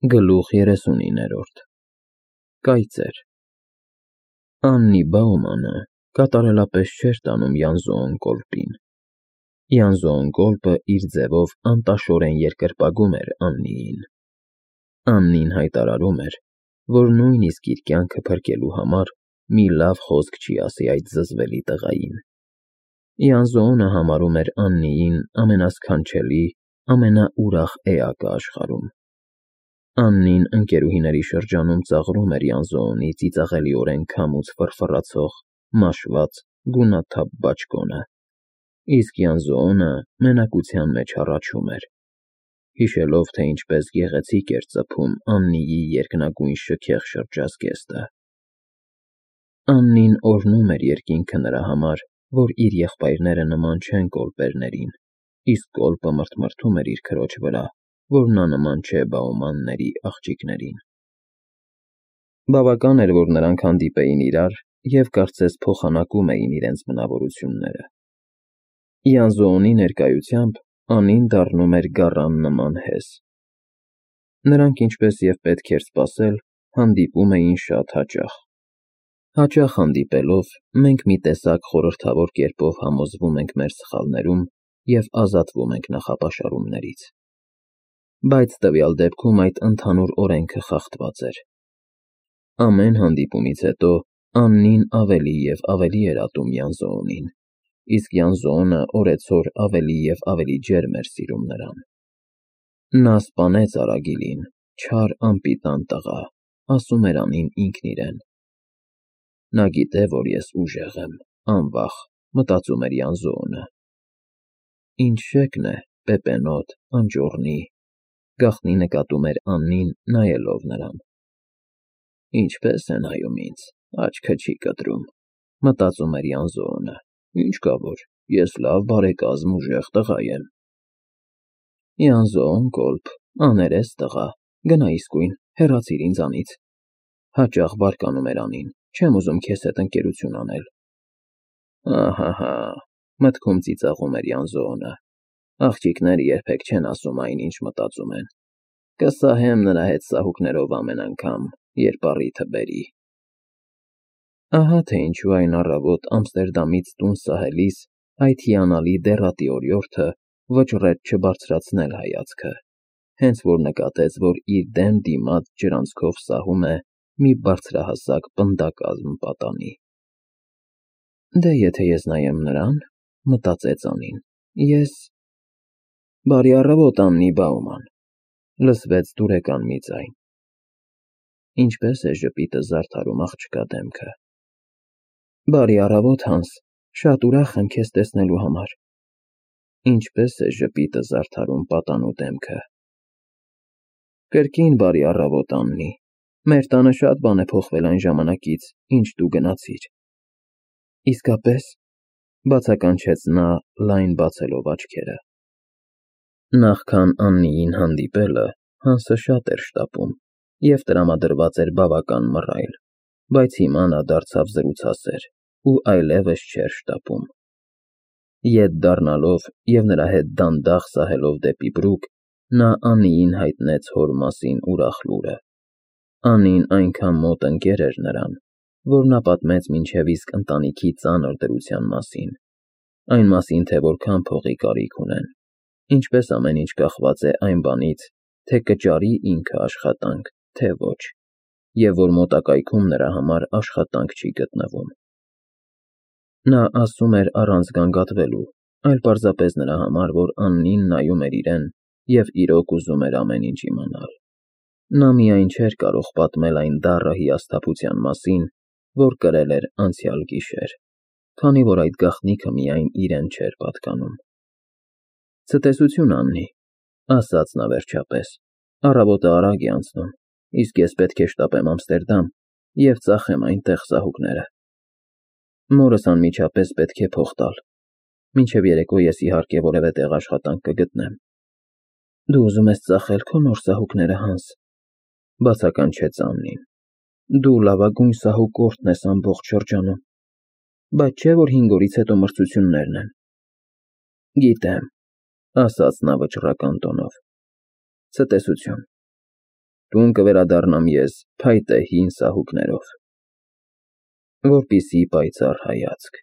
Գլուխ 39 Կայծեր Աննի Բաումանը կատարելապես չէր տանում Յանզոն կոլպին։ Յանզոն կոլպը իր ձևով անտաշորեն երկրպագում էր Աննիին։ Աննին հայտարարում էր, որ նույնիսկ իր կյանքը փրկելու համար մի լավ խոսք չի ասի այդ զզվելի տղային։ Յանզոնը համարում էր Աննիին ամենասքանչելի, ամենաուրախ էակը աշխարհում։ Աննին ընկերուհիների շրջանում ծաղրում էր Յանզոնի ծիծաղելիորեն քամուց ֆռֆռացող, մաշված, գունաթափ բաճկոնը, իսկ Յանզոնը մենակության մեջ հառաչում էր, հիշելով, թե ինչպես գեղեցիկ էր ծփում Աննիի երկնագույն շքեղ շրջազգեստը։ Աննին օրհնում էր երկինքը նրա համար, որ իր եղբայրները նման չեն կոլպերներին, իսկ կոլպը մրթմրթում էր իր քրոջ վրա, որ նա նման չէ Բաումանների աղջիկներին։ Բավական էր, որ նրանք հանդիպեին իրար և կարծես փոխանակում էին իրենց բնավորությունները։ Յանզոնի ներկայությամբ Անին դառնում էր գառան նման հեզ։ Նրանք, ինչպես և պետք էր սպասել, հանդիպում էին շատ հաճախ։ Հաճախ հանդիպելով, մենք մի տեսակ խորհրդավոր կերպով համոզվում ենք մեր սխալներում և ազատվում ենք նախապաշարումներից։ Բայց տվյալ դեպքում այդ ընդհանուր օրենքը խախտված էր։ Ամեն հանդիպումից հետո Աննին ավելի և ավելի էր ատում Յանզոնին, իսկ Յանզոնը օրեցօր ավելի և ավելի ջերմ էր սիրում նրան։ Նա սպանեց Արագիլին, չար անպիտան տղա, ասում էր Անին ինքն իրեն։ Նա գիտե, որ ես ուժեղ եմ, անվախ, մտածում էր Յանզոնը։ Ինչ շեքն է, պեպենոտ, անճոռնի, գաղտնի նկատում էր Աննին, նայելով նրան։ Ինչպես է նայում ինձ, աչքը չի կտրում, մտածում էր Յանզոնը, ինչ կա որ, ես լավ բարեկազմ ուժեղ տղա եմ։ Յանզոն կոլպ, աներես տղա, գնա իսկույն, հեռացիր ինձանից, հաճախ բարկանում էր Անին, չեմ ուզում քեզ հետ ընկերություն անել։ Ահահա, մտքում ծիծաղում էր Յանզոնը, աղջիկները երբեք չեն ասում այն, ինչ մտածում են։ Կսահեմ նրա հետ սահուկներով ամեն անգամ, երբ առիթը բերի։ Ահա թե ինչու այն առավոտ Ամստերդամից տուն սահելիս այդ հիանալի դեռատի օրիորդը վճռեց չբարձրացնել հայացքը, հենց որ նկատեց, որ իր դեմ դիմաց ջրանցքով սահում է մի բարձրահասակ պնդակազմ պատանի։ Դե եթե ես նայեմ նրան, մտածեց Անին, ես… Բարի առավոտ, Աննի Բաուման, լսվեց դուրեկան մի ձայն։ Ինչպես է ժպիտը զարդարում աղջկա դեմքը։ Բարի առավոտ, Հանս, շատ ուրախ եմ քեզ տեսնելու համար։ Ինչպես է ժպիտը զարդարում պատանու դեմքը։ Կրկին բարի առավոտ, Աննի, մեր տանը շատ բան է փոխվել այն ժամանակից, ինչ դու գնացիր։ Իսկապես, բացականչեց նա, լայն բացելով աչքերը։ Նախքան Աննիին հանդիպելը Հանսը շատ էր շտապում և տրամադրված էր բավական մռայլ, բայց հիմա նա դարձավ զրուցասեր ու այլևս չէր շտապում։ Ետ դառնալով և նրա հետ դանդաղ սահելով դեպի բրուկ, նա Աննիին հայտնեց հոր մասին ուրախ լուրը։ Անին այնքան մոտ ընկեր էր նրան, որ նա պատմեց մինչև իսկ ընտանիքի ծանր դրության մասին, այն մասին, թե որքան փողի կարիք ունեն, ինչպես ամեն ինչ կախված է այն բանից, թե կճարի ինքը աշխատանք, թե ոչ, և որ մոտակայքում նրա համար աշխատանք չի գտնվում։ Նա ասում էր առանց գանգատվելու, այլ պարզապես նրա համար, որ Աննին նայում էր իրեն և իրոք ուզում էր ամեն ինչ իմանալ։ Նա միայն չէր կարող պատմել այն դառը հիասթափության մասին, որ կրել էր անցյալ գիշեր, քանի որ այդ գաղտնիքը միայն իրեն չէր պատկանում։ Ցտեսություն, Աննի, ասաց նա վերջապես, առավոտը արագ է անցնում, իսկ ես պետք է շտապեմ Ամստերդամ և ծախեմ այնտեղ սահուկները։ Մորս անմիջապես պետք է փող տալ, մինչև երեկո ես իհարկե որևէ տեղ աշխատանք կգտնեմ։ Դու ուզում ես ծախել քո նոր սահուկները, Հանս, բացականչեց Աննին։ Դու լավագույն սահուկորդն ես ամբողջ շրջանում, բայց չէ՞ որ 5 օրից հետո մրցություններն են։ Գիտեմ, ասաց նա վճռական տոնով։ Ցտեսություն։ Տուն կվերադառնամ ես փայտե հին սահուկներով, որպիսի պայծառ հայացք,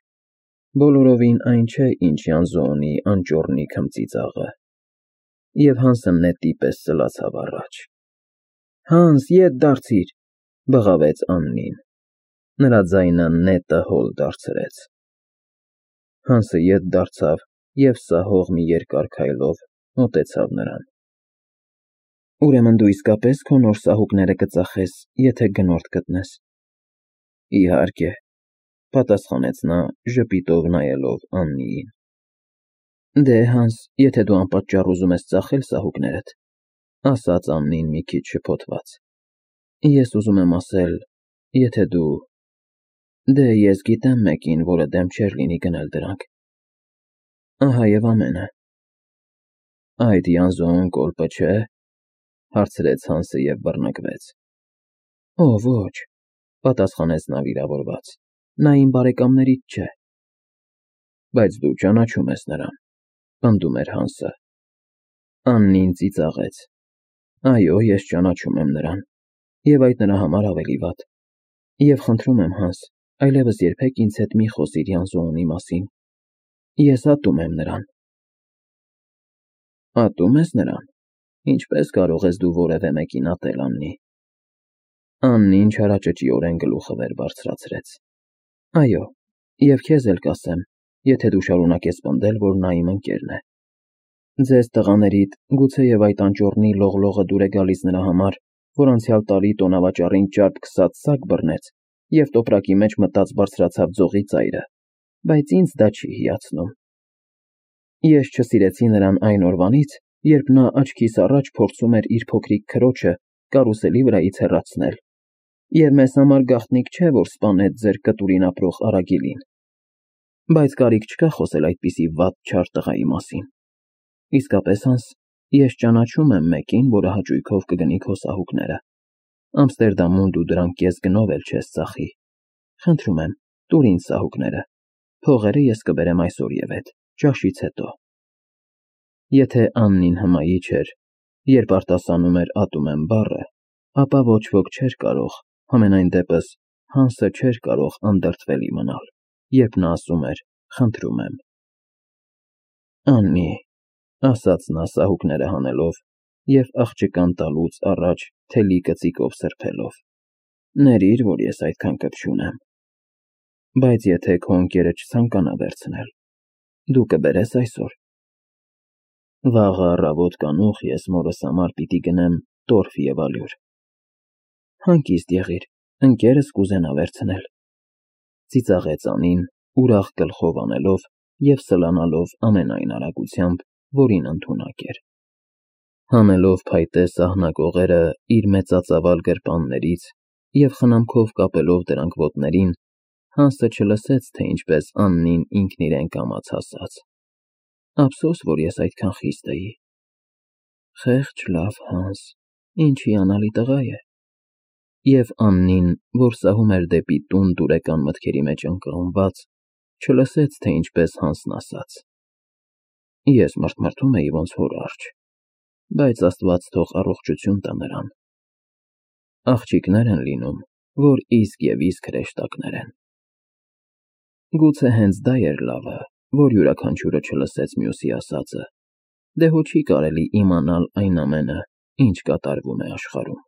բոլորովին այն չէ, ինչ Յանզոնի անճոռնի քմծիծաղը, և Հանսը նետի պես սլացավ առաջ։ Հանս, ետ դարձիր, բղավեց Աննին, նրա ձայնը նետը հոլ դարձրեց։ Հանսը ետ դարձավ և սահող մի երկար քայլով մոտեցավ նրան։ Ուրեմն դու իսկապես քո նոր սահուկները կծախես, եթե գնորդ գտնես։ Իհարկե, պատասխանեց նա ժպիտով նայելով Աննիին։ Դե, Հանս, եթե դու անպատճառ ուզում ես ծախել սահուկներդ, ասաց Աննին մի քիչ շփոթված, ես ուզում եմ ասել, եթե դու… Դե, ես գիտեմ մեկին, որը դեմ չէր լինի գնել դրանք։ Ահա և ամենը։ Այդ Յանզոն կոլպը չէ՞, հարցրեց Հանսը և բռնկվեց։ Օ, ոչ, պատասխանեց նա վիրավորված, նա իմ բարեկամներից չէ։ Բայց դու ճանաչում ես նրան, պնդում էր Հանսը։ Աննին ծիծաղեց։ Այո, ես ճանաչում եմ նրան, և այդ նրա համար ավելի վատ։ Եվ խնդրում եմ, Հանս, այլևս երբեք ինձ հետ մի խոսիր Յանզոնի մասին։ Ես ատում եմ նրան։ Ատում ես նրան։ Ինչպես կարող ես դու որևէ մեկին ատել, Աննի։ Աննին չարաճճիորեն գլուխը վեր բարձրացրեց։ Այո, և քեզ էլ կասեմ, եթե դու շարունակես պնդել, որ նա իմ ընկերն է։ Ձեզ տղաներիդ գուցեև այդ անճոռնի լողլողը դուր է գալիս նրա համար, որ անցյալ տարի տոնավաճառին ճարպ քսած սակ բռնեց և տոպրակի մեջ մտած բարձրացավ ձողի ծայրը, բայց ինձ դա չի հիացնում։ Ես չսիրեցի նրան այն օրվանից, երբ նա աչքիս առաջ փորձում էր իր փոքրիկ քրոջը կարուսելի վրայից հեռացնել, և մեզ համար գաղտնիք չէ, որ սպանեց ձեր կտուրին ապրող Արագիլին։ Բայց կարիք չկա խոսել այդպիսի վատ չար տղայի մասին։ Իսկապես, Հանս, ես ճանաչում եմ մեկին, որը հաճույքով կգնի քո սահուկները։ Ամստերդամում դու դրանք կես գնով էլ չես ծախի։ Խնդրում եմ, տուր ինձ սահուկները։ Փողերը ես կբերեմ այսօրևեթ, ճաշից հետո։ Եթե Աննին հմայի չէր, երբ արտասանում էր ատում եմ բառը, ապա ոչ ոք չէր կարող, համենայն դեպս Հանսը չէր կարող անդրդվելի մնալ, երբ նա ասում էր խնդրում եմ։ Աննի, ասաց նա սահուկները հանելով և աղջկան տալուց առաջ թելի կծիկով սրբելով, ներիր, որ ես այդքան կպչուն եմ։ Բայց եթե քո ընկերը չցանկանա վերցնել, դու կբերես այսօր։ Վաղը առավոտ կանուխ ես մորս համար պիտի գնեմ տորֆ և ալյուր։ Հանգիստ եղիր, ընկերս կուզենա վերցնել։ Ծիծաղեց Անին, ուրախ գլխով անելով և սլանալով ամենայն արագությամբ, որին ընդունակ էր։ Հանելով փայտե սահնակողերը իր մեծածավալ գրպաններից և խնամքով կապելով դրանք ոտներին, Հանսը չլսեց, թե ինչպես Աննին ինքն իրեն կամաց ասաց. Ափսոս, որ ես այդքան խիստ էի։ Խեղճ լավ Հանս, ինչ հիանալի տղա է։ Եվ Աննին, որ սահում էր դեպի տուն դուրեկան մտքերի մեջ ընկղմված, չլսեց, թե ինչպես Հանսն ասաց. Ես մռթմռթում էի ոնց հոր առջ, բայց Աստված թող առողջություն տա նրան։ Աղջիկներ են լինում, որ իսկ և իսկ հրեշտակներ են։ Գուցե հենց դա էր լավը, որ յուրաքանչյուրը չլսեց մյուսի ասածը, դե հո չի կարելի իմանալ այն ամենը, ինչ կատարվում է աշխարհում։